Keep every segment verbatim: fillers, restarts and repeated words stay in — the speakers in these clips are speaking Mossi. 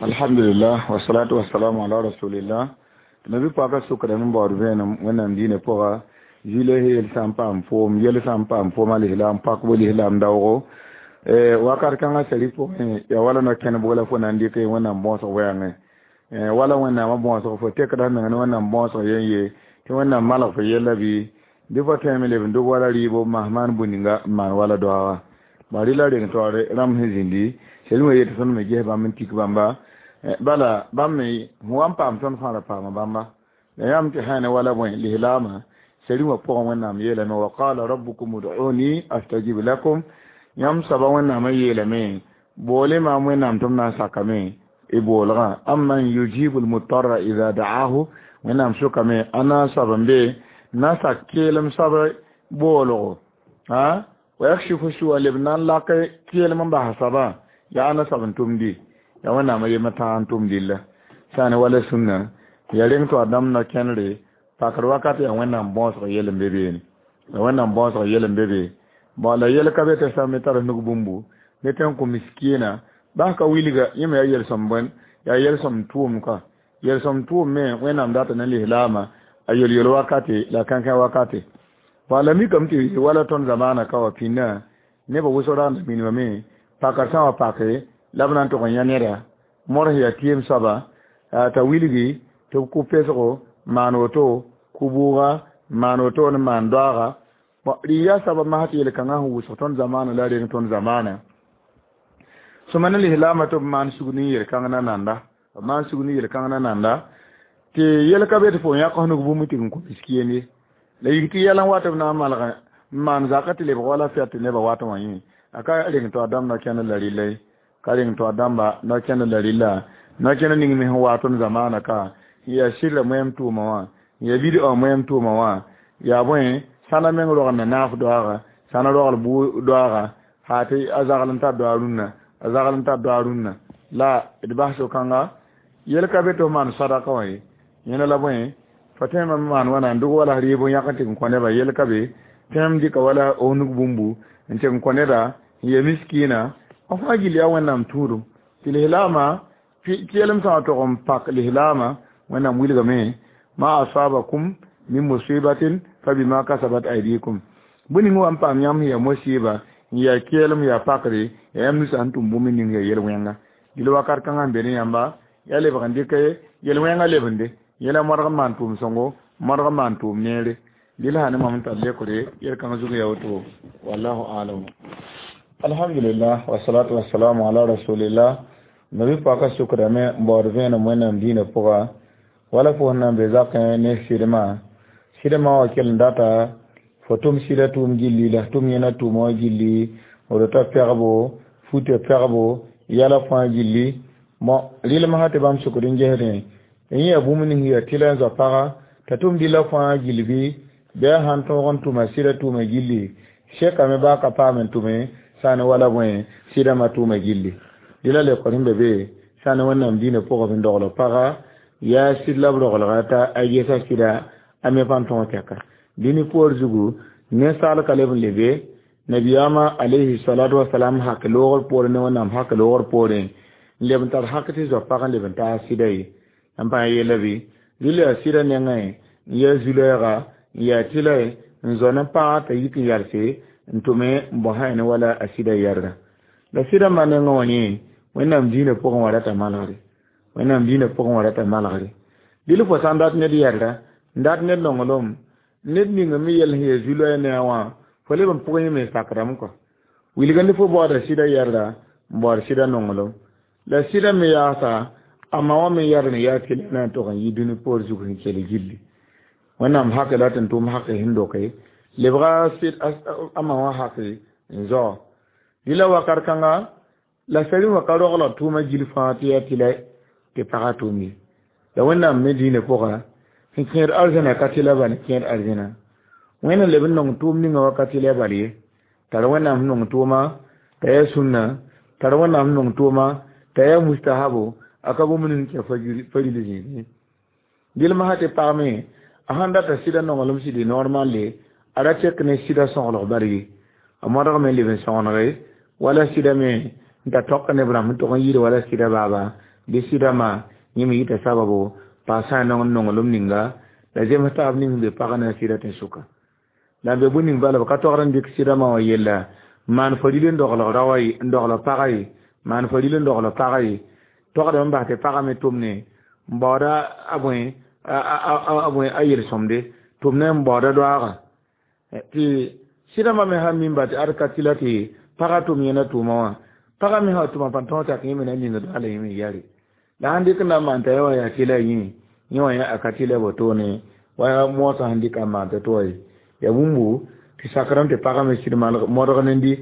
Alhamdulillah, wassalatu wassalamu ala rasulillah. Nabi paka sukra n baood vẽenem Wẽnnaam diinã pʋga zĩila yel sã n paam foom yel sã n paam foom alislam pakbo lislam daoogo wakat kãngã sari pʋgẽ yaa wala no-kẽnebg la fo na n dɩk Wẽnnaam bõosg wɛɛngẽ wala Wẽnnaamã bõosg fo tekda meng ne Wẽnnaam bõosg yen ye tɩ Wẽnnaam malg fo yella bɩ bɩ fo tõeme leb n dog wala rɩɩbo masã maan bũ-ninga n maan wala doaaga ba rɩla reng taoore rãmb sẽn zĩndi sel wã yet tõnd me ges bãmb n tik bãmba bala bãmb me fo wa n paam tõnd fãa ra paama bãmba la yãmb tɩ sã ne wala bõe lislaamã sari wã pʋgẽ Wẽnnaam yeelame wa qala rabbukum ud'uni astajib lakum yãmb soaba Wẽnnaamã yeelame boole maam Wẽnnaam tɩ m na n sakame y boolgã amman yujibu lmutarra ida da'ahu Wẽnnaam sʋkame a na n soab n be na sak keelem soab boolgo wa yakshifu su'a leb na n lak keelem n bas soabã yaa na soab n tʋmdi yaa Wẽnnaamã yemã tãag n tʋm dilla sã ne wala sũnna ya reng tɩ wa dãmb no-kẽnere pakr wakat yaa Wẽnnaam bõosg yel n be beene yaa Wẽnnaam bõosg yel n be be bon la yel ka be tɩ sã me tar nug bũmbu ne tɩ n kõ miskiina bas ka wilga yẽ me yaa yel-sõm bõe yaa yel-sõm tʋʋm ka yel-sõm tʋʋm me Wẽnnaam data ne lislaamã a yel-yel wakate la kãnkã wakate bon la mikame tɩ wala tõnd zamaana ka wa pĩnnã nebã wʋsg rãanda minimame pakr sã wa pake la b na n tʋg n yã neda mods yaa tɩɩm soaba t'a wilgi tɩ b kʋ pesgo maan woto kʋ-bʋʋga maan woto n maan doaaga bon rɩ yaa soaba masã tɩ yel-kãngã sẽn wʋsg tõnd zamaana la reng tõnd zamaana sõma ne lislaamã tɩ b maan sugd n yel-kãng na nanda b maan sugd n yel-kãng na nanda tɩ yel ka be tɩ fo yãk nug bũmb tɩ n kõ miskien ye la yik tɩ yɛl n wat b na n malg n maan zakã tɩ lebg wala fɛt tɩ nebã wat wã yẽ a ka reng tɩ a dãmb no-kẽnd la rɩlla ye ka reng tɩ a dãmba no-kẽnd la rɩlla no-kẽnd ning me sẽn wa tõnd zamaana ka n yaa sɩrra moɛɛm tʋʋma wã n yaa bid moɛɛm tʋʋma wã yaa bõe sãna meng rogl na naaf doaaga sãna rogl bʋ doaaga haa tɩ a zagl n tar doa rũnnã a zagl n tar doa rũnnã la d bas so-kãnga yel ka be tɩ f maan sadaka wã ye yẽna la bõe fa tõeme n maan wãna n dog wala rɩɩb n yãk n tɩ n kõ nebã yel ka be tõem dɩka wala f nug bũmbu n tɩ n kõ neda n ya miskiina f fãa gill yaa Wẽnnaam tũudum tɩ lislaamã keelem sã tog n pak lislaamã Wẽnnaam wilgame ma asabakum min musibatin fa bima kasabat aydikum bũ ning wa n paam yãmb sẽn yaa mosiiba n yaa keelem yaa pakre yaa yãmb nusã sẽn tʋm bũmb ning yaa yel-wẽnga dɩl wakat kãngã sẽn be ne yãmba yaa lebg n dɩk yel-wẽngã lebende yẽla modg n maan tʋʋm sõngo modg n maan tʋʋm neere dɩl sã ne mam n tar lekre yel-kãng zug yaa woto wallahu alam. Alhamdulillah, wassalatu wassalamu ala rasulillah. Nabi paka sukrame n baood vẽenem Wẽnnaam diinã pʋga wala fo sẽn na n be zakẽ ne sɩdmã sɩdmã wã kell n data fo tʋm sɩda tʋʋm gilli la f tʋm yẽna tʋʋma wã gilli f rota pɛgbo futã pɛgbo yɛla fãa gilli bon rɩlem sã tɩ bãmb sʋkd n gesdẽ n yã bũmb ning yaa tɩla n zoa paga t'a tʋm dɩla fãa gill bɩ bɩ a sãn tõog n tʋma sɩda tʋʋma gilli sekame baa ka paam n tʋme sã ne wala bõe sɩdãmã tʋʋma gilli dɩla lekor sẽn be be sã ne Wẽnnaam diinã pʋgã b n dogl paga yaa sɩd la b roglga t'a a gesa sɩda a me pa n tõog tɛka dĩni poor zugu ninsaal ka leb n lebe nabiyaamã alayhi salatu wasalam hak loogr poorẽ ne Wẽnnaam hak loogr poorẽ n leb n tar hak tɩ zoa pag n leb n taas sɩda ye n pa yeela bɩ rɩla yaa sɩda nengẽ n yaa zu-lɛɛga n yaa tɩlɛ n zao ne pagã t'a yik n yalse n tʋme n bõsã ne wala a sɩda yɛrda la sɩda ma nengã wã yẽ Wẽnnaam diinã pʋgẽ wã rata malgre Wẽnnaam diinã pʋgẽ wã rata malgre dɩl fo sã n dat ned yɛrda n dat ned nonglem ned ning me yɛl sẽn yaa zu-loɛɛ ne a wã fo leb n pʋgẽ yẽ me sakrame kɔ wilga ne fo baooda sɩda yɛrda n baood sɩda nonglem la sɩda me yaasa a ma wã me yɛr ne yaa tɩlɛ na n tog n yi dũni poor zug sẽn kell gilli Wẽnnaam hake la tɩ n tʋm hake sẽn doke lebga a ma wã hake n zao dɩla wakat kãnga la sari wã ka roglg tʋʋmã gil fãa tɩ yaa tɩlɛ tɩ pagã tʋʋm ye la Wẽnnaam me diinã pʋga sẽn kẽed arzãna ka tɩlɛ bal n kẽed arzẽna Wẽnnaam leb n nong tʋʋm ninga wa ka tɩlɛ bal ye tar Wẽnnaam sẽn nong tʋʋma t'a yaa sũnna tar Wẽnnaam sẽn nong tʋʋma t'a yaa mustahabo a ka bũmb ning kẽ faril zĩigẽ dɩl masã tɩ pagme a sãn data sɩda nonglem sɩdɩ normalle a ra tek ne sɩda sõglg bal ye a modgme n leb n sõgenege wala sɩda me n ta tõk neb rãmb n tʋg n yɩɩd wala sɩda baaba Bɩ sɩdama yẽ me yita sababo paas sã n nong n nonglem ninga la zems taab ning be pagã na sɩda tẽn-sʋka la n be bũmb ning bala b ka togd n dɩk sɩdama wã yella maan faril n dogl raoã ye n dogl pagã ye maan faril n dogl pagã ye togdame n bas tɩ pagã me tʋmne n baooda a bõe a bõe a yel-sõmde tʋmne n baooda doaagã tɩ sɩdãmbã me sã n mimba tɩ ad ka tɩla tɩ pagã tʋm yẽna tʋʋma wã pagã me sã tʋma pãn tõog tak yẽ me na ninga doa la yẽ me yare la sãn dɩk n na n maan t'a ya wa yaa tɩla yẽ yẽ wã yã a ka tɩla wotone wa moosã sẽn dɩka n maan t'a tɩ wa ye ya bũmbu tɩ sakrame tɩ pagã me sɩd modg nendi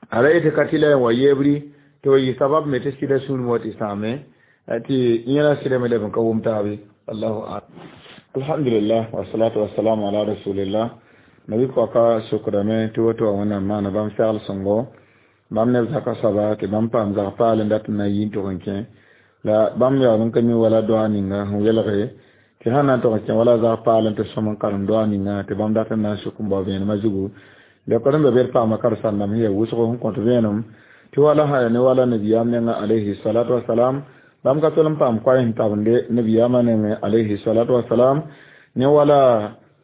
a ra yetɩ ka tɩla n wa yeebri tɩ wa yɩ sabab me tɩ sɩda sũurẽ wa tɩ sãame tɩ yẽna sɩda me leb n ka wʋm taabe allahu alam alhamdulillah wasalatu wasalamu ala rasulillah nabi pɔka sokdame tɩ woto wa wẽnnaam maana bãmb segl sõngo bãmb neb zaka soaba tɩ bãmb paam zag paal n dat n na n yi n tʋg n kẽ la bãmb yaool n ka mi wala doa ninga sẽn welge tɩ sãn na n tʋg n kẽ wala zag paal n tɩ sõm n karem doa ninga tɩ bãmb dat n na n suk n bao vẽenemã zugu lekod n be bed paama karen-sãndame sẽn yaa wʋsgo sẽn kõt vẽenem tɩ wala sã ya ne wala nabiyaam nengã alayhi salatu wasalam bãmb ka tol n paam koɛɛ sẽn tabende nabiyaamã nengẽ alayhi salatu wasalam ne wala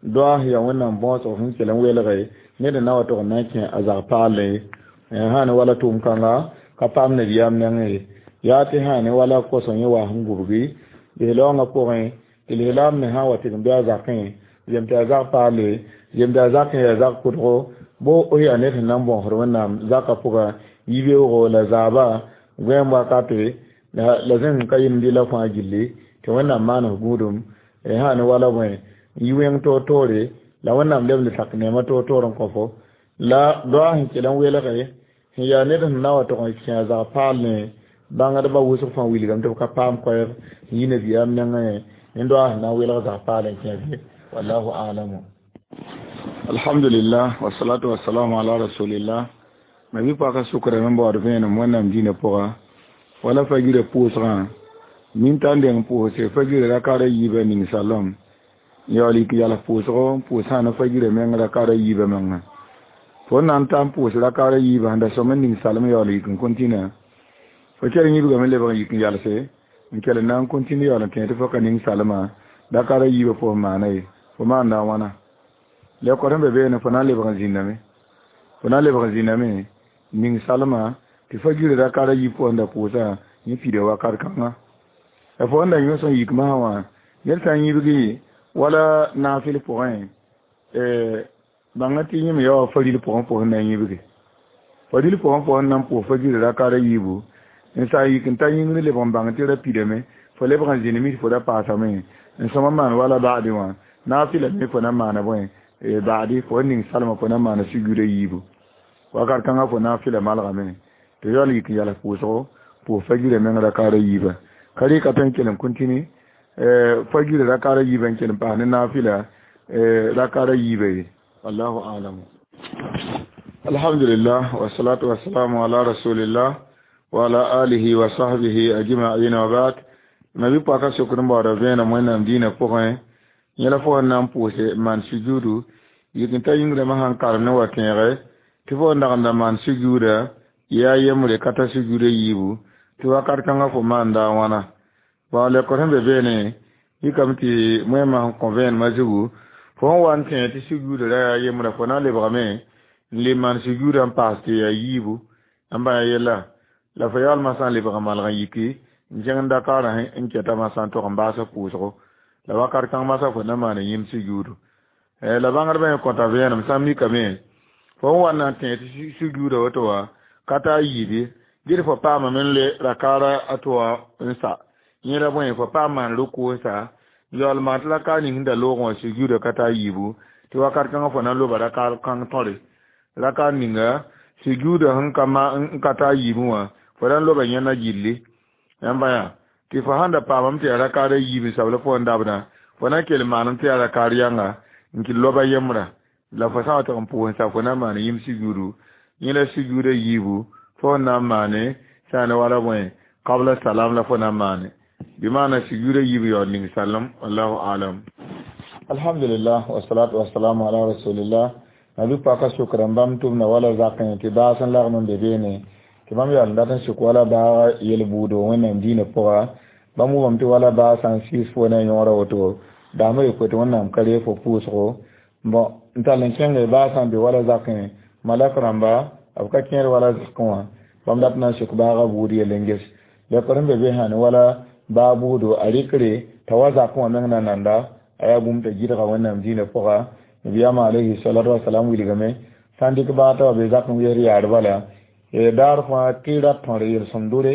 doa sẽn yaa wẽnnaam bõosg sẽn kell n welge ned n na wa tʋg n na n kẽ a zag paalle sã ne wala tʋʋm kãnga ka paam nabiyaam nengẽ ye yaa tɩ sã ne wala kosõ yẽ wa sẽn gubgi lislaoongã pʋgẽ tɩ lislaam me sã n wa tɩ n bɩ a zakẽ zem tɩ a zag paalle zem tɩ a zakẽ yaa zag kʋdgo bo yaa ned sẽn na n bõosd wẽnnaam zakã pʋga yibeoogo la zaaba gõeem wakate la zẽng ka yemd la fãa gilli tɩ wẽnnaam maan f gũudum sã ne wala bõe yi wẽng toor-toore la wẽnnaam leb n sak neemã toor-toor n kõ fo la doa sẽn kell n welge sẽn yaa ned sẽn na wa tʋg n kẽ a zag paal ne bãngdbã wʋsg fãa wilgame tɩ b ka paam koɛɛg n yi nabiyaam nengẽ ne doa sẽn na n welg zag paal n kẽ be wallahu alamu alhamdulillah wasalatu wasalamu ala rasulillah ma bɩ paka sʋkrame n baood vẽenem wẽnnaam dĩinã pʋga wala fagirã pʋʋsgã nin t'a n deng pʋʋse fagirã rakara yiibã ning salem yaool yik yals pʋʋsgo n pʋʋs sã ne fagirã meng rakara yiibã menga fo n na n ta n pʋʋs rakara yiibã sẽn da sõm n ning salem yaool yik n kõntĩna fo kell yĩbgame lebg n yik n yalse n kell n na n kõntĩnd yaool n tẽ tɩ fo ka ning salmã rakara yiibã fo maana ye fo maanda a wãna lekod sẽn be beene fo na n lebg n zĩndame fo na n lebg n zĩndame ning salmã tɩ fagirã rakara yiib pʋgẽ da pʋʋsa yẽ pida wakat kãnga la fo n da yõs n yik masã wã ned sã n yibgi wala naafɩl pʋgẽ bãnga tɩ yẽ me ya wa faril pʋgẽ pʋgẽ na n yibge faril pʋgẽ pʋgẽ na n pʋʋs fagirã rakara yiibu n sa yik n ta yĩngr leb n bãng tɩ ra pidame fo lebg n zĩnd mis fo ra paasame n sõma maan wala ba'di wã naafɩla me fo na n maana bõe ba'di fo n ning salmã fo na n maana sugurã yiibu wakat kãngã fo naafɩla malgame tɩ yaool yik n yals pʋʋsgo pʋʋs fagirã meng rakara yiiba ka rɩka tõe n kell n kõtini fagirã rakara yiibã n kell n paas ne naafɩla rakara yiiba ye wallahu alamu alhamdulillah wasalatu wasalamu ala rasulillah wa ala alihi wa sahbihi ajma'in wa ba'd nabi paka sokr n baooda vẽenem wẽnnaam dĩinã pʋgẽ yẽ la fo n na n pʋʋse maan sujuudu yik n ta yĩngrãmã sãn karem ne wa tẽege tɩ fo n dag n da maan sujuuda yaa yembre ka ta sujuuda yiibu tɩ wakat kãngã fo maanda a wãna bao lekod sẽn be beene yikame tɩ moẽmã sẽn kõ vẽenemã zugu fo n wa n tẽ tɩ sujuuda ra yaa yembrã fo na n lebgame n le maan sujuuda n paas tɩ yaa yiibu n bã ya yella la fo yaoolmã sã n lebg n malg n yiki n kẽng n dakaarã n kɛta masã n tog n baasa pʋʋsgo la wakat kãng masã fo na maan yĩm sujuudu la bãngdbã yẽ kõta vẽenem sã n mikame fo n wa n na n tẽ tɩ sujuuda woto wã ka taa yiibe ged fo paamame n le rakaara a tɩ wa n sa yẽ ra bõe fo paam maan ruku n sa yaool maan tɩ rakaar ning sẽn da loogẽ wã sujuuda ka taa yiibu tɩ wakat kãngã fo na n loba rakaar kãng tõre rakaar ninga sujuuda sẽn ka ma n ka taa yiibẽ wã fo ra n loba yẽnda gilli yãmba yaa tɩ fo sãn da paamame tɩ yaa rakaara yiib n sabl fo n dabdã fo na n kell maanem tɩ yaa rakaar yãnga n kɩ loba yembrã la fo sã n wa tɩg n pʋʋs n sa fo na n maan yĩm sujuudu yẽ la sujuuda yiibu fo n na n maane sã ne wala bõe qabla salam la fo na n maane bɩ maana sujuuda yiib yaool ning salem wallahu alam alhamdulillah wasalatu wasalamu ala rasulillah nabi paka sʋkr n bãmb tʋmda wala zakẽ tɩ baas n lagm n be beene Tɩ bãmb yaool n dat n sik wala baaga yel-buudo Wẽnnaam diinã pʋga. Bãmb wʋmame tɩ wala baa sã n sɩɩs fo ne a yõora woto, daambã yopoe tɩ Wẽnnaam ka reeg fo pʋʋsgo. Bõ n tall n kẽnge baa sã n be wala zakẽ malak rãmba, b ka kẽed wala zakẽ wã. Bãmb dat na n sik baaga buud yell n ges. Lekr n be be sã ne wala baa buudo a rɩkre t'a wa zakẽ wã meng na nanda a yaa bũmb t'a gɩdga Wẽnnaam diinã pʋga. Nabiyaamã alayhi salatu wasalam wilgame sã n dɩk baa t'a wa be zakẽ wesd yaar bala daar fãa tɩ ra tõr yel-sõmdore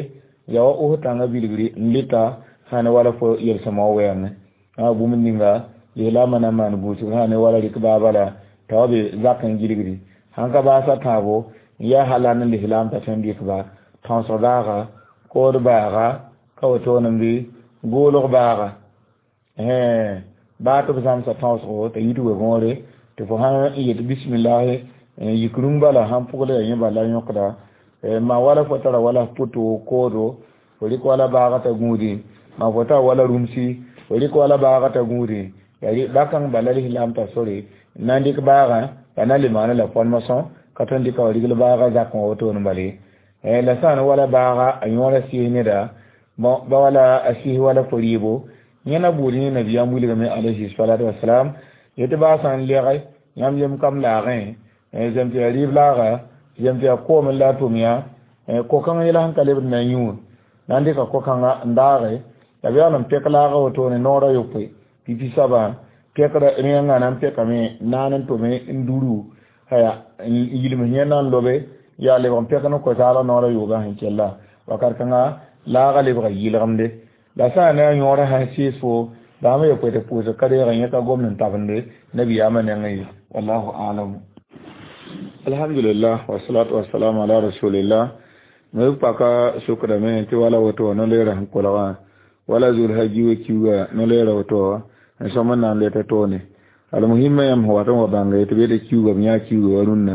yaa wa os tãngã bilgri n lɩta sã ne wala fo yel-sõmã wã wɛɛngẽ. A bũmb ninga lislaamã na n maan gũusg sã ne wala rɩk baa bala t'a wa be zakẽ gilgri sãn ka baasa tãabo n yaa hala ne lislaam t'a tõe n dɩk ba tãoosg baaga, kood baaga, ka wotone bɩ goolg baaga, baa tɩ b zãmsa tãoosgo t'a yit we-võore tɩ fo sã n yet bismillahi yik rũng bala sãn pʋgl yaa yẽ bala yõkda ma wala fo tara wala pʋto koodo fo rɩk wala baaga t'a gũudẽ, ma fo tara wala rũmsi fo rɩk wala baaga t'a gũudẽ yaa bakãng bala lislaam t'a sore n na n dɩk baagã la na n le maana la formation ka tõe n dɩka wa rigl baaga zakẽ wã wotone bala ye. La sã n wala baaga a yõora sɩɩs neda bõ ba wala a sɩɩs wala fo rɩɩbo yẽna buud yẽ nabiyaam wilgame alayhi salatu wasalam yetɩ baa sã n lɛge yãmb yem kam laagẽ zem tɩ yaa rɩɩb laaga, zem tɩ yaa koom la a tʋm yã ko-kãng yɛla sẽn ka lebd na n yũ na n dɩka ko-kãnga n daage la b yaool n pɛk laaga wotone noora yopoe pipi soabã pɛkra rẽngã na n pɛkame naan n tome n duru haya n yilms yẽ na n lobe yaa lebg n pɛk ne ko-zaalg noora yoogã sẽn kella wakat kãnga laaga lebga yɩlgemde. La sã n ne a yõora sãn sɩɩs fo daambã yopoe tɩ pʋʋsg ka reeg yẽ ka gomd n tabende nabiyaamã nengẽ ye. Wallahu alam. Alhamdulillah, wasalatu wasalamu ala rasulillah. Me paka sukra me tɩ wala woto no-leerã sẽn kolgã wala zulhaji wa kiuga no-leerã woto n sõm n na n leta toone. Almuhimma yãmb sẽn wat n wa bãnga tɩ b yetɩ kiuga b yã kiuga wa rũnnã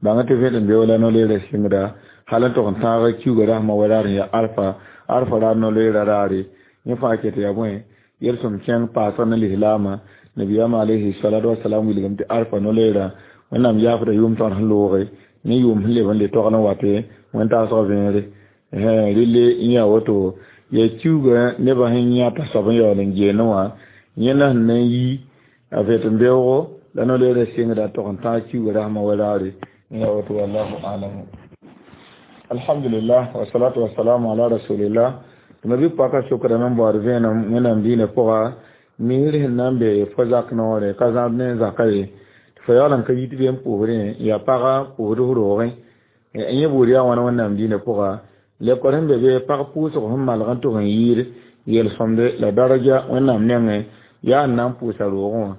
bãnga tɩ vẽd n be wala no-leerã sɩngda hal n tog n tãaga kiuga rasmã wa raar n ya arfa arfa raar no-leerã raare yẽ fãa ket yaa bõe yel-sõm kẽng paasg ne lislaamã. Nabiyaamã alayhi salatu wasalam wilgame tɩ arfa no-leerã Wẽnnaam yaafda yʋʋm tõr sẽn looge ne yʋʋm sẽn leb n le togl n wate wẽn-taasg vẽere relle n yaa woto yaa kiuga nebã sẽn yãta soab n yaool n geene wã yẽna sẽn na n yi a vẽt n beoogo la no-leerã sɩngda tog n tãag kiuga rasmã wa raare n yaa woto. Wallahu alamu. Alhamdulillah, wasalatu wasalamu ala rasulillah. Tɩ ma bɩ paka sokrame n baood vẽenem Wẽnnaam diinã pʋga misr sẽn na n be fo zak noore ka zãb ne zaka ye tɩ fo yaool n ka yit be n pʋʋsdẽ yaa paga pʋʋsd f roogẽ yẽ buud yaa wãna Wẽnnaam diinã pʋga lekor sẽn be be pag pʋʋsg sẽn malg n tʋg n yɩɩd yel-sõmde la daraja Wẽnnaam nengẽ yaa n na n pʋʋsa roogẽ wã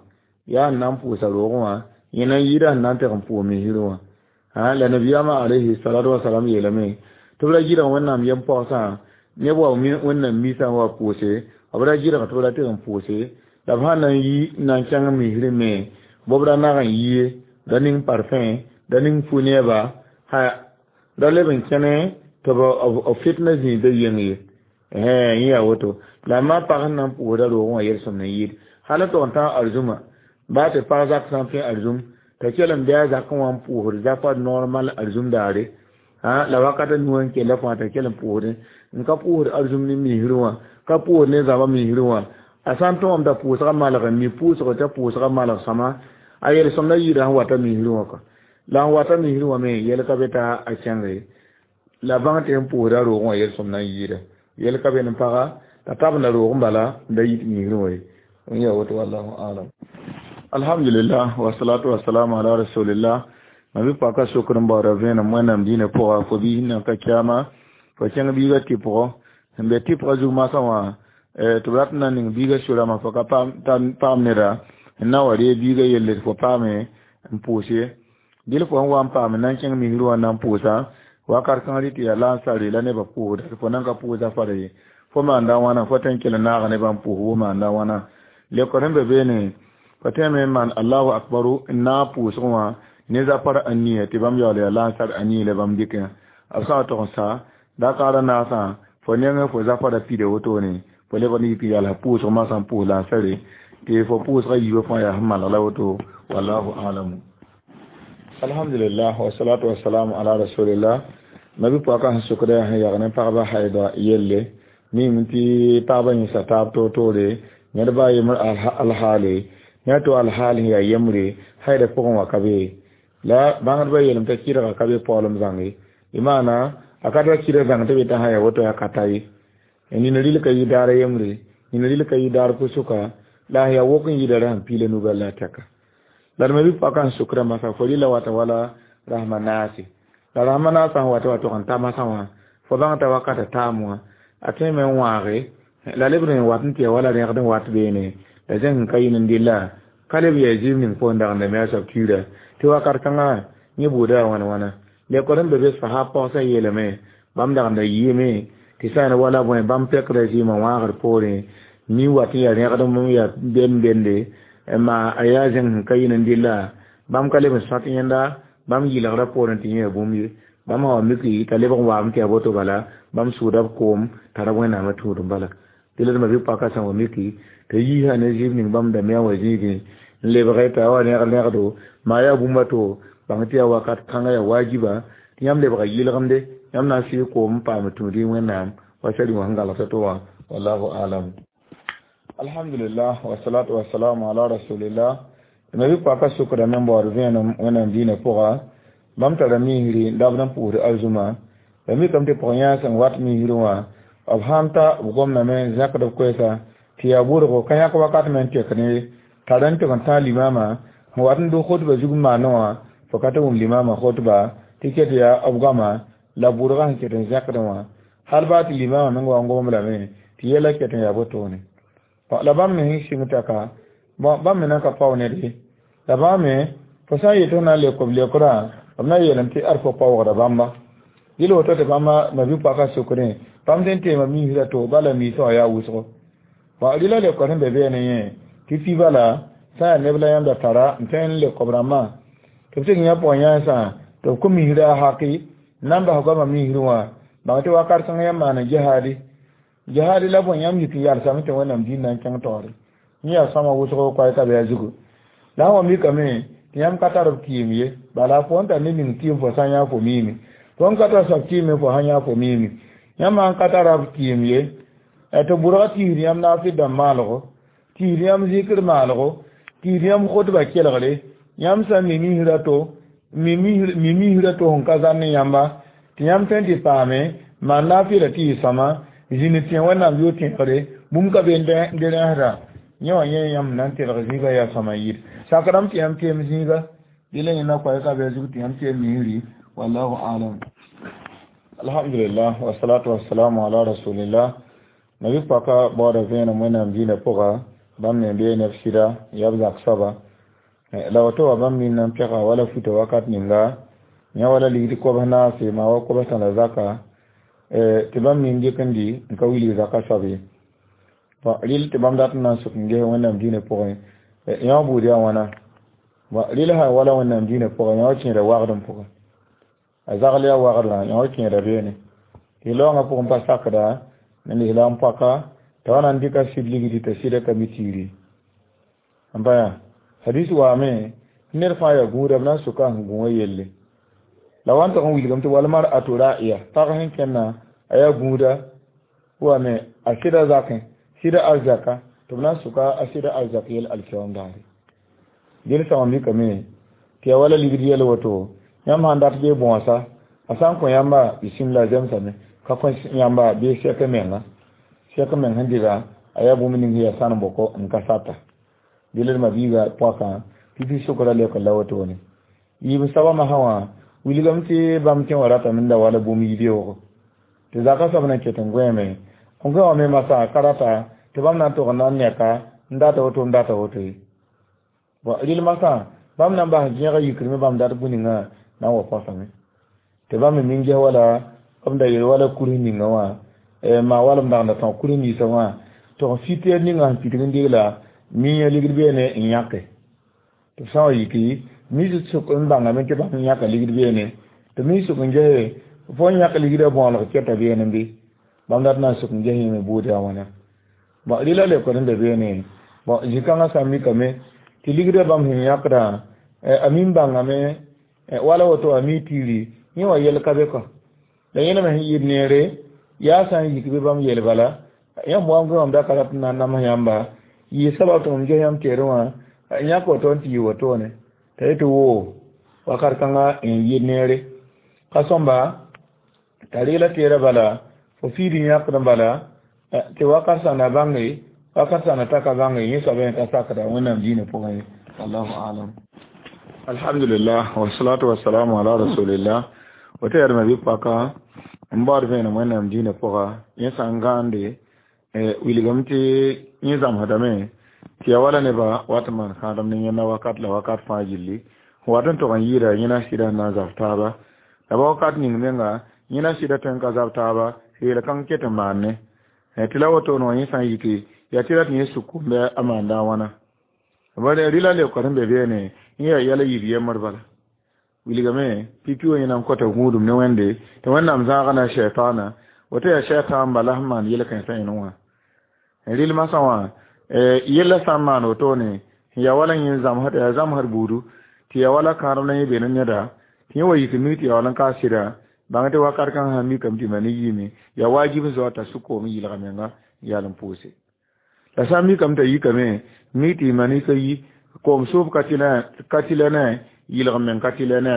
yaa n na n pʋʋsa roogẽ wã yẽ na n yɩɩda sẽn na n teg n pʋʋs misr wã. La nabiyaamã alayhi salatu wasalam yeelame tɩ b ra gɩdg Wẽnnaam yem pagsã neb wa Wẽnnaam misã wa pʋʋse b ra gɩdg tɩ b ra teg n pʋʋse la b sã na n yi n na n kẽng misrẽ me b ra nag n yie ra ning parfum ra ning fu-neeba ra leb n kẽne tɩ b fitna zĩigda yeng ye yẽ yaa woto. La ma pag sẽn na n pʋʋsda roogẽ wã yel-sõmd n yɩɩd hal n tog n tãag arzũma baa tɩ pag zak sã n pẽ arzũm t'a kell n bɩ a zakẽ wã n pʋʋsd zakã normal arzũm daare la wakat a nu n kella fãa t'a kell n pʋʋsdẽ n ka pʋʋsd arzũm ne misr wã ka pʋʋsd ne zãbã misr wã a sã n tõgame t'a pʋʋsgã malg n mi pʋʋsg t'a pʋʋsgã malg sõma a yel-sõmda yɩɩda sẽn wata misr wã ka la n wata misr wã me yɛl ka be t'a a kẽnge la bãng tɩ sẽn pʋʋsda roogẽ wã yel-sõm na n yɩɩda yɛl ka be n paga t'a tabenda roogẽ bala n da yit misr wã ye n yaa woto. Wallahu alam. Alhamdulillah, wasalatu wasalamu ala rasulillah. Ma bɩ paka sokr n baooda vẽenem Wẽnnaam diinã pʋga fo biis nan ka kiama fo kẽng biigã tɩpgɔ sẽn be tɩpgã zug masã wã tɩ b rat n na ning biigã sorama fo ka paam neda n na wa ree biigã yelle tɩ fo paame n pʋʋs ye dɩl fo sẽn wa n paam n na n kẽng misr wã na n pʋʋsa wakat kãng rɩ tɩ yaa lansare la nebã pʋʋsda tɩ fo nan ka pʋʋsa fara ye fo maanda wãna fo tõe n kell n naaga nebã n pʋʋs wo maanda wãna lekor sẽn be beene fo tõeme n maan allahu akbaru n naag pʋʋsgẽ wã ne zapar a nia tɩ bãmb yaool yaa lansar a nii la bãmb dɩkẽ b sã n tog n sa dakara naasã fo nengẽ fo zapara pida wotone fo lebg n yik n yaala pʋʋsg masã n pʋʋs lansare tɩ fo pʋʋsgã yiibã fãa yaa sẽn malg la woto. Wallahu alamu. Alhamdulillah, wasalatu wasalamu ala rasulillah. Mabi pɔka sẽn sokda yaa sẽn yag ne pagba haida yelle mim tɩ pagba yẽsa taab toor-toore ned ba yembr alhaale ne to alhaal sẽn yaa yembre haida pʋgẽ wã ka be la bãngdbã yeelame t'a kɩdga ka be paoolem zãnge y maana a ka tara kɩdg zãng tɩ be t'a sã yaa woto yaa ka ta ye nina rɩl ka yɩ daar yembre nina rɩl ka yɩ daar pʋsʋka la a yaa wok n yɩda ra sẽn piila nubɛl la a tɛka la d ma bi-pɔka sẽn sokda masã fo rɩla wata wala rasma naase la rasma naasã sẽn wata wa tog n ta masã wã fo bãng t'a wakata taam wã a tõe me n wãage la lebd n wat n tɩ ya wala rẽgd n wat beene la zẽng n ka yɩn n dɩlla ka leb yaa zĩig ning pʋgẽ dagenda me a soab kiira tɩ wakat kãngã yẽ buuda yaa wãna wãna lekor n be be sahab pagsã yeelame bãmb dagenda yɩɩme tɩ sã n wala bõe bãmb pɛkda zɩɩmã wãagd poorẽ mi wat n yaa rẽgd m yaa bem bende ma a yaa zẽng sẽn ka yɩn n dɩlla bãmb ka leb n sõt yẽnda bãmb yɩlgrã poorẽ tɩ yẽ yaa bũmb ye bãmb sã wa miki t'a lebg n waame tɩ yaa boto bala bãmb sʋʋda b koom tara wẽnnaamã tũudum bala tɩ la d ma bi-paka sã wa miki t'a yiisa ne zɩɩb ning bãmb da me wã zĩigẽ n lebge t'a wa rẽgd rẽgdo maa yaa bũmb a to bãng tɩ yaa wakat kãngã yaa wajiba tɩ yãmb lebga yɩlgemde yãmb na n sɩɩg koom n paam tũud wẽnnaam wa sari wã sẽn galgta to wã wallahu alam. Alhamdulillah wasalatu wasalamu ala rasulillah. Ma bi-paka sokdame n baood vẽenem wẽnnaam diinã pʋga bãmb tara misri n dabd n pʋʋsd arzũma la mikame tɩ pʋg-yãag sẽn wat misrẽ wã b sãn ta b gomdame n zãkd b koɛɛsa tɩ yaa bʋrgo ka yãk wakat me n tek ne tar n tɩg n tãag limama sẽn wat n dʋ khotba zug n maanẽ wã fo ka tɩ wʋm limama khotba tɩ ket yaa b goama la bʋrgã sẽn ket n zãkdẽ wã hal baa tɩ limama meng wa n gom lame tɩ yɛla ket n yaa botone la bãmb me sẽn sɩng taka bãmb me nan ka pao ned ye la bãmb me fo sã n yet f na n leok b leokrã b na n yeelame tɩ ad fo paoogda bãmba dɩl woto tɩ bãmba ma bi-paka sokdẽ bãmb sẽn teema misrã to bala misã wã yaa wʋsgo rɩla leokr sẽn be beene yẽ tɩ pi bala sã yaa neb la yãmb da tara n tõe n leok b rãmbã tɩ b sɩk yã pʋgẽ yãensã tɩ b kõ misrã a haki n na n bas goamã misrẽ wã bãng tɩ wakat kãngã yãmb maan jihaadi jihaadi la bõe yãmb yik n yalsame tɩ wẽnnaam dĩn na n kẽng taoore yẽ yaa sõama wʋsgo koɛɛ ka be a zugu la sã wa mikame tɩ yãmb ka tar b kɩɩm ye bala fo n tar ne ning kɩɩm fo sã n yã fo miime fo n ka tar soab kɩɩme fo sã n yã fo miime yãmb sãn ka tara b kɩɩm ye tɩ bʋrga tiisd yãmb naafɩd dãmb maalgo tiisd yãmb zikr maalgo tiisd yãmb khotba kelgre yãmb sã n mi misrã to mi misrã to sẽn ka zãn ne yãmba tɩ yãmb tõe n tɩ paame maan naafɩda tɩ yɩ sõama zĩnd tẽ wẽnnaam yo tẽegre bũmb ka be n de rẽsda yẽ wã yẽ yãmb na n telg zĩiga yaa sõama n yɩɩd sakrame tɩ yãmb teem zĩiga dɩ la yẽnda koɛɛ ka be a zug tɩ yãmb teem misri wallahu alam. Alhamdulillah wasalatu wasalamu ala rasulillah. Nabi paka baooda vẽenem wẽnnaam diinã pʋga bãmb me bee neb sɩda yaa b zak soaba la woto wa bãmb nin n pɛga wala futa wakat ninga yã wala ligd kobs naase maa wa kobs tã la zaka tɩ bãmb nin dɩk n dɩ n ka wilg zaka soab ye rɩl tɩ bãmb dat n na n sok n ges wẽnnaam diinã pʋgẽ yã wã buud yaa wãna rɩl sã wala wẽnnaam diinã pʋgẽ yã wã kẽeda wagdem pʋgẽ a zagl yaa wagdã yã wã kẽeda beene tɩ laoongã pʋgẽ pa sakda ne lislaam paka t'a wa na n dɩka sɩd ligdi t'a sɩda ka mi tiiri n pa yaa hadis waame ned fãa yaa gũuda b na n soka sẽn gũ wã yelle la wa n tog n wilgame tɩ walmar a to ra'iya pag sẽn kẽnna a yaa gũuda wame a sɩda zakẽ sɩda arzaka tɩ b na n soka a sɩda arzak yel alkiyaoom daare dẽl sã wã mikame tɩ yaa wala ligd yɛl woto yãmb sãn dat bee bõosa a sã n kõ yãmba bisimla zemsame ka kõ yãmba bee sɛk menga sɛk meng sẽn dɩga a yaa bũmb ning sẽn yaa sãn bɔkɔ n ka sata dɩl d ma-biiga pɔkã pipi sokra leok la wotone yiib soabã masã wã wilgame tɩ bãmb tẽ wã ratame n da wala bũmb yi-beoogo tɩ zaka soab na n ket n gõeeme n gõe wã me masã ka rata tɩ bãmb na n tog n na n neka n data woto n data woto ye rɩl masã bãmb na n bas gẽega yikrame bãmb dat bũ-ningã na n wa põsame tɩ bãmb me nin ges wala b da yel wala kurẽ ninga wã maa wala b dagda tõg kurẽ ninsã wã tɩ fitɛɛr ninga sẽn pitg n degla miã ligd beene n yãke tɩ b sã n wa yiki mi sʋk n bãngame tɩ bãmb yãka ligd beene tɩ mi sʋk n gese fo n yãk ligdã bõoleg kɛta beene bɩ bãmb dat na n sʋk n ges yẽme buud yaa wãna bɔn rɩla leokd n be beene bɔn zĩ-kãngã sã n mikame tɩ ligdã bãmb sẽn yãkdã a min bãngame wala woto a mi tiiri yẽ wã yɛl ka be kɔ La yẽna me sẽn yɩɩd neere yaa sã n yik bɩ bãmb yel bala yãmb wa n gõ mam da ka rat n na n nams yãmba yɩ sabab tɩ mam ges yãmb teerẽ wã yãk woto n tɩ yɩ wotone t'a yetɩ woo wakat kãnga n yɩɩd neere ka sõmba t'a regla teerã bala fo fiid n yãkd n bala tɩ wakat sã na bãnge wakat sã na ta ka bãnge yẽ soab yẽ ka sakda wẽnnaam diinã pʋgẽ ye wallahu alam. Alhamdulillah wasalatu wasalamu ala rasulillah. Woto yaa bɩ paka n baood vẽenem wẽnnaam diinã pʋga yẽ sã n gãande wilgame tɩ yẽ zãmsdame tɩ ya wala nebã wat n maan kãadem ne yẽnda wakat la wakat fãa gilli wat n tog n yɩɩda yẽna sɩda n na n zab taaba la ba wakat ning menga yẽna sɩda tõe n ka zab taaba yeel kãng ket n maanne tɩ la wotone wã yẽ sã n yike yaa tɩ rat yẽ suk-kombe a maanda a wãna bare rɩla leoka sẽn be beene yẽ yaa yɛla yib yembr bala wilgame pipi wã yẽna n kota gũudum ne wẽnde tɩ wẽnnaam zãaga na shɛtaana woto yaa shɛtaan bala sẽn maan yel-kãensã yẽne wã rɩl masã wã yella sã n maan wotone yaa wala yẽ zãmsd yaa zãmsd buudu tɩ yaa wala kãadem la yẽ be ne neda tɩ yẽ wa yik mi tɩ yaa wala n ka sɩda bãng tɩ wakat kãng sã mikame tɩ ma ne yiime yaa wajib n zao t'a sʋk-koom yɩlga menga n yaal n pʋʋse la sã n mikame t'a yikame mi tɩ ma ne ka yi koom sʋʋb ka tɩ la ne yɩlg meng ka tɩ la ne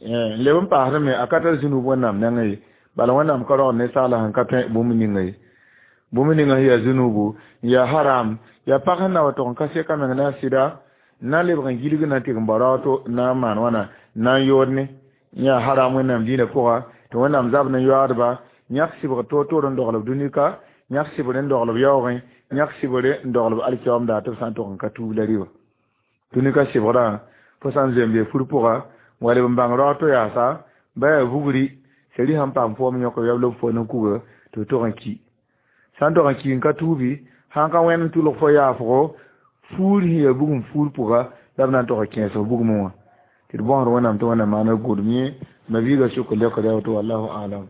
n leb n paasdame a ka tar zũnub wẽnnaam nengẽ ye bala wẽnnaam ka rogd ninsaala sẽn ka tõe bũmb ninga ye bũmb ninga sẽn yaa zũnubu n yaa haram yaa pag sẽn na wa tog n ka seka meng ne a sɩda n na n lebg n gilg na n tɩg n bao raooto n na n maan wãna n na n yood ne n yaa haram wẽnnaam diinã pʋga tɩ wẽnnaam zab ne yoaadba yãk sɩbg toor-toor n dogl b dũnika yãk sɩbr n dogl b yaoogẽ yãk sɩbr n dogl b alkiyaoomda tɩ b sã n tog n ka tuub la rɩba dũnika sɩbgrã fo sã n zoe n be fur pʋga wa leb n bãng raooto yaasa ba yaa vugri seri sãn paam foom yõk yab la b fo ne kuga tɩ b tog n ki sã n tog n ki n ka tuubi sãn ka wẽnd n tʋlg fo yaafgo fuur sẽn yaa bugum fuur pʋga la b na n tog n kẽes bugmẽ wã tɩ d bõsd wẽnnaam tɩ wẽnnaam maana gʋdem yẽ ma biiga sʋk leokda woto wallahu alam.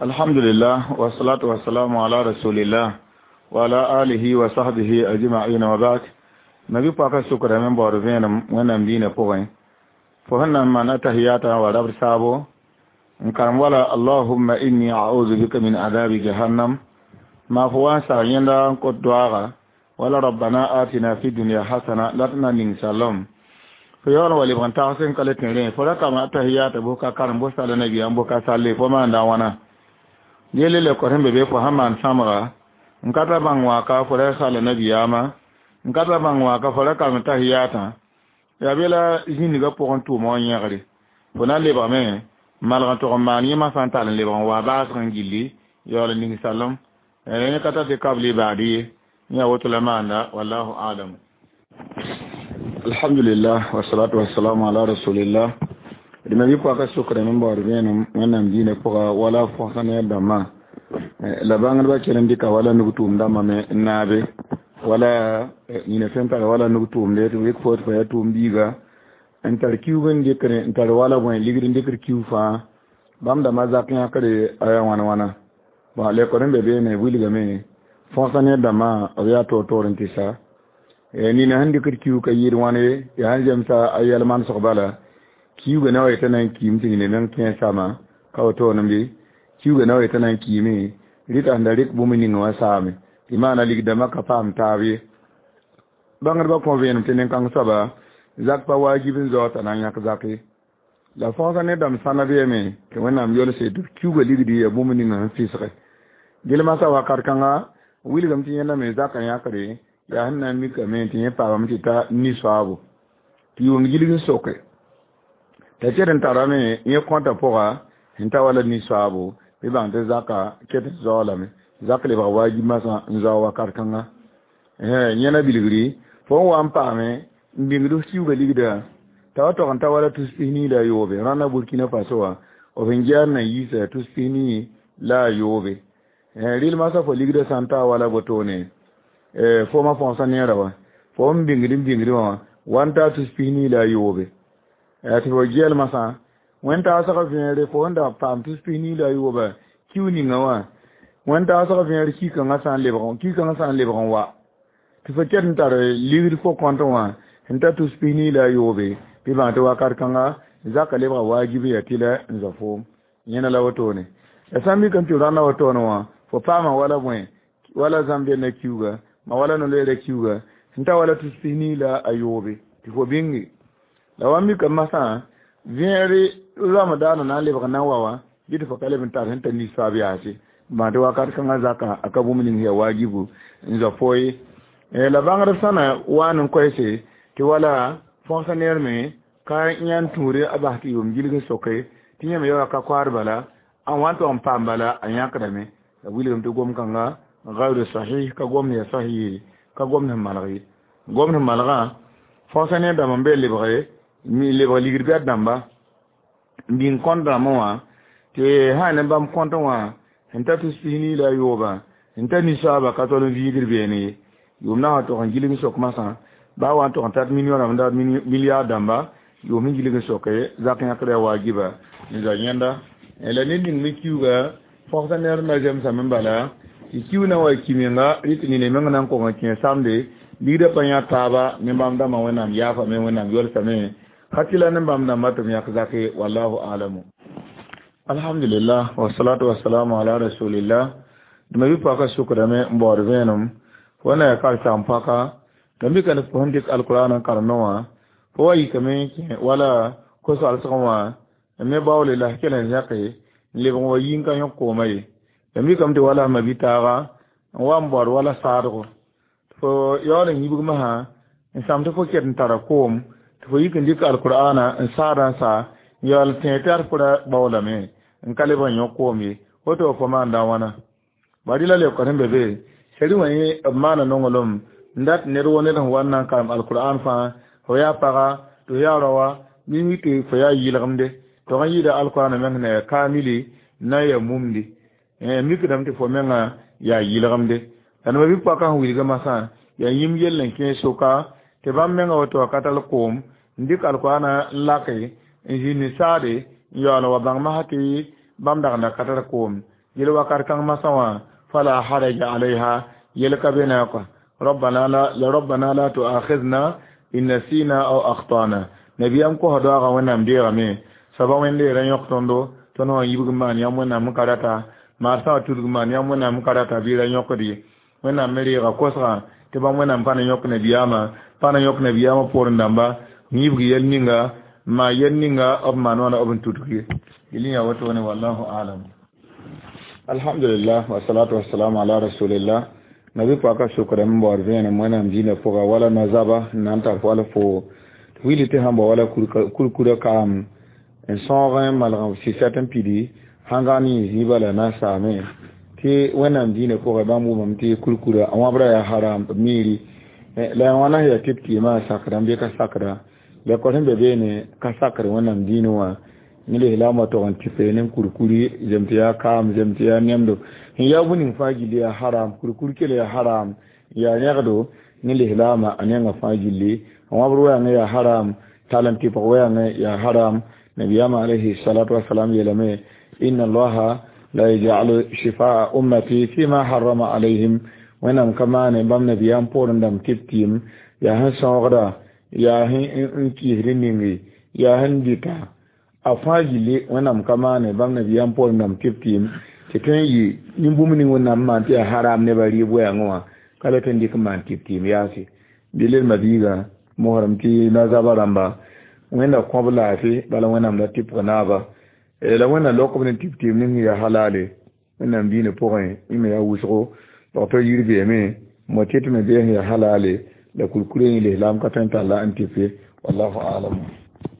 Alhamdulillah wasalatu wasalamu ala rasulillah wa ala alihi wa sahbihi ajma'in wa ba'd. Nabi paka sʋkdame n baood vẽenem wẽnnaam diinã pʋgẽ fo sẽn na n maan atahiyata wa rabd saabo n karem wala allahumma inni a'udhu bika min adabi jahannam ma fo wa n sag yẽnda n kõt doaaga wala rabbana atina fi dunya hasana la tɩ na ning salom fo yaool n wa lebg n tags n ka le tẽ rẽ fo ra kama atahiyata bʋ ka karem bʋ sala nabiyaam bʋ ka salle fo maanda wãna yelle leokr sẽn be be fo sãn maan sãmga n ka ta bãng wãka fo ra sala nabiyaamã n ka ta bãng wãka fo ra karem tahiyatã yaa be la zĩnigã pʋgẽ tʋʋma wã yẽgre fo na n lebgame malg n tog n maan yẽmã sã n tall n lebg n wa baasg n gilli yaool n ning salem yẽ ka ta tɩ kabli baad ye yã woto la maanda wallahu alam. Alhamdulillah wasalatu wasalamu ala rasulillah. D ma bɩ paka sʋkdame n baood vẽenem wẽnnaam diinã pʋga wala fõsã ne dãmbã la bãngdbã kell n dɩka wala nug tʋʋm dãmbã me n naabe wala nina sẽn tar wala nug tʋʋmde tɩ b rɩk fo tɩ fa yaa tʋʋm biiga n tar kiuug n dɩkre n tar wala bõe ligd n dɩkr kiu fãa bãmb dãmbã zak yãkre aya wãn wãna bon lekor n be beene wilgame fõsã ne dãmbã b yaa toor-toor n tɩ sa nina sẽn dɩkd kiu ka yɩɩd wãn ye yaa sẽn zemsa a yɛl manesg bala kiuugã na wa yetã na n kiim tɩ nina meng kẽ sama ka wotone bɩ kiuugã na wa yetã na n kiime rɩta sẽn da rɩk bũmb ninga wã saame tɩ maana ligdãmbã ka paam taab ye bãngdbã kõ vẽenem tɩ nin-kãng soaba zak pa wajib n zao t'a na n yãk zak ye la fõsã ne dãmb sãna beeme tɩ wẽnnaam yolse tɩ b kiuugã ligdi yaa bũmb ninga sẽn fɩsge gel masã wakat kãnga wilgame tɩ yẽnda me zakã yãkre yaa sẽn na n mikame tɩ yẽ paamame tɩ ta ni-soaabo tɩ yʋʋm gilg n soke t'a ket n tarame yẽ kõta pʋga sẽn ta wala ni-soaabo bɩ bãng tɩ zaka ket n zao lame zak lebg wajib masã n zao wakat kãnga yẽna bilgri fo n wa n paame n bĩngd f kiuugã ligda t'a wa tog n ta wala tus pis nii la a yoobe rãnda Burkina Faso wã b sẽn gear na n yiisa tus pis nii la a yoobe rɩl masã fo ligdã sã n ta wala botone fo ma fõsã neera wã fo n bĩngd n bĩngd wã wa n taa tus pis nii la a yoobe tɩ fo gɛɛl masã wẽn taasg vẽere fo n da paam tus pis nii la a yooba kiu ninga wã wẽn taasg vẽer ki-kãngã sã n lebg ki-kãngã sã n lebg n wa tɩ fo ket n tar ligd fo kõnt wã sẽn ta tus pis nii la a yoobe bɩ bãng tɩ wakat kãnga zaka lebga wajib ya tɩ la n zao foom. Yẽna la wotone la sã n mikame tɩ rãnda wotone wã fo paama wala bõe wala zambia na kiuga ma wala no-loeera kiuga sẽn ta wala tus pis-nii la a yoobe tɩ fo bĩnge la wa mikame masã vẽegre ramadaana na n lebg na n wa wã bɩ tɩ fo ka leb n tar sẽn ta ninsab yaase maa tɩ wakat kãngã zaka a ka bũmb ning ya wajibu n zoa fo ye la bãngdb sã na wa n koɛɛse tɩ wala fõgsa neer me ka yãnd tũure a bas tɩ yʋʋm gilg n soke tɩ yẽme ya wa ka koaad bala n wa n tog n paam bala a yãkdame la wilgame tɩ gom kãnga gayru sahih ka gomd ya sahih ka gomd sẽn malg ye gomd sẽn malgã fõgsa neer dãmb n be lebge lebg ligd bɛd dãmba n bĩng kõnt dãmbẽ wã tɩ sã ne bãmb kõntẽ wã sẽn ta tus pis-nii la a yoobã sẽn ta ninsaaba ka tol n viigd beene ye yʋʋm na n tog n gilg n sok masã baa wa n tog n tat million rãmb dat milliard dãmba yʋʋm sẽn gilg n soke zak yãkd yaa waajiba n zoa yẽnda la ned ning me kiuga fõgsa neer na zemsame n bala tɩ kiu na wa ki menga rɩ tɩ nina meng na n kong n kẽ samde ligdã pa yã taaba ne bãmb dãmbã wẽnnaam yaafame wẽnnaam yolsame ka tɩ la ne bãmb dãmba tɩ b yãk zake wallahu alamu alhamdulillah wasalatu wasalamu ala rasulillah dma bi paka sukdame n baood vẽenem fo na ya karsaam paka la mika ne fo sẽn dɩk alkuraan n karemẽ wã fo wa yikame kẽ wala ko-soalsgẽ wã n me baoole la kell n zẽke n lebg n wa yi n ka yõk koomã ye la mikame tɩ wala ma bi-taaga n wa n baood wala saadgo fo yaool n yibg masã n sãm tɩ fo ket n tara koom tɩ fo yik n dɩk alkur'aana n saada n sa n yaool tẽeg tɩ ad fo ra baoolame n ka leb n yõk koom ye woto fo maanda wãna bari la leoka sẽn be be sari wã yẽ b maana nonglem n dat ned wo ned sẽn wa n na n karem alkur'an fãa fo yaa paga tɩ fo yaa raoa bɩ mi tɩ fo yaa yɩlgemde tog n yɩɩda alkur'an meng sẽn ya kaamili na n ya mumdi mikdame tɩ fo menga yaa yɩlgemde la neba bɩ paka sẽn wilga masã yaa yĩm yell n kẽ soka tɩ bãmb menga woto wa ka tall koom n dɩk alkur'ana n lake n zĩnd saade n yaool n wa bãng masã tɩ bãmb dag n da ka tar koom yel wakat kãng masã wã fala haraja alayha yel ka be na kɔa ربنا لا ربنا لا تؤاخذنا إن نسينا أو أخطأنا nabiyam kosa doaga wẽnnaam deegame soaba wẽnd-leerã yõk tõndo tõnd wã yibg n maan yãmb wẽnnaam n ka rata maarsã wã tudg maan yãmb wẽnnaam n ka rata bɩ ra yõkd ye wẽnnaam me reega kosgã tɩ bãmb wẽnnaam pa na yõk nabiyaamã pa na yõk nabiyaamã poorẽ dãmba n yibg yɛl ninga n maan yɛl ninga b maan wãna b n tudg ye yel yaa wotone wallahu alam alhamdulillah wasalatu wasalamu ala rasulillah nabi paka sʋkrame n baood vẽenem wẽnnaam dĩinã pʋga wala nazaba n na n tar wala fo willi tɩ sãn bao wala kurkurã kaam n sõog n malg sɩsɛt n pidi sãn ne yẽ zĩig bala na n saame tɩ wẽnnaam dĩinã pʋgẽ bãmb wʋmame tɩ kurkurã a wãbrã yaa haram b miiri la wãna sẽn yaa tɩ b kɩɩmã sakda n bɩ ka sakda la kõ sẽn be beene ka sakr wẽnnaam dĩinẽ wã ne lislaamã tog n tɩpe ne kurkuri zem tɩ yaa kaam zem tɩ yaa nemdo sẽn yaa bũmb ning fãa gilli yaa haram kurkur kell yaa haram yaa yẽgdo ne lislaamã a nenga fãa gilli wãbr wɛɛngẽ yaa haram tall n tɩpg wɛɛngẽ yaa haram nabiyama alayhi salatu wasalam yeelame inna allaha la yaj'alu shifaa ummati fima harrama alayhim wẽnnaam ka maane bãmb nabiyam poorẽ dãmb tɩ b tɩɩm yaa sẽn sõogda yaa sẽn kɩɩsd ninge yaa sẽn dɩta a fãa gilli wẽnnaam ka maane bãmb nabiyam poorẽ dãmb tɩ b tɩɩm tɩ tõe n yɩ nin-bũmb ning wẽnnaam maan tɩ yaa haram nebã rɩɩb wɛɛngẽ wã ka la tõe n dɩk n maan tɩ b tɩɩm yaase bɩ lel mabiiga mosrem tɩ nazaba rãmba wẽnda kõb laafɩ bala wẽnnaam la tɩpg naaba la wẽnna lok b ne tɩ b tɩɩm ning yaa halale wẽnnaam dĩinã pʋgẽ yẽ me yaa wʋsgo docteur yir beeme mo tɩ tɩ me bee sẽn yaa halale la kurkurã yẽ lislaam ka tõe n talla n tɩpe wallahu alam.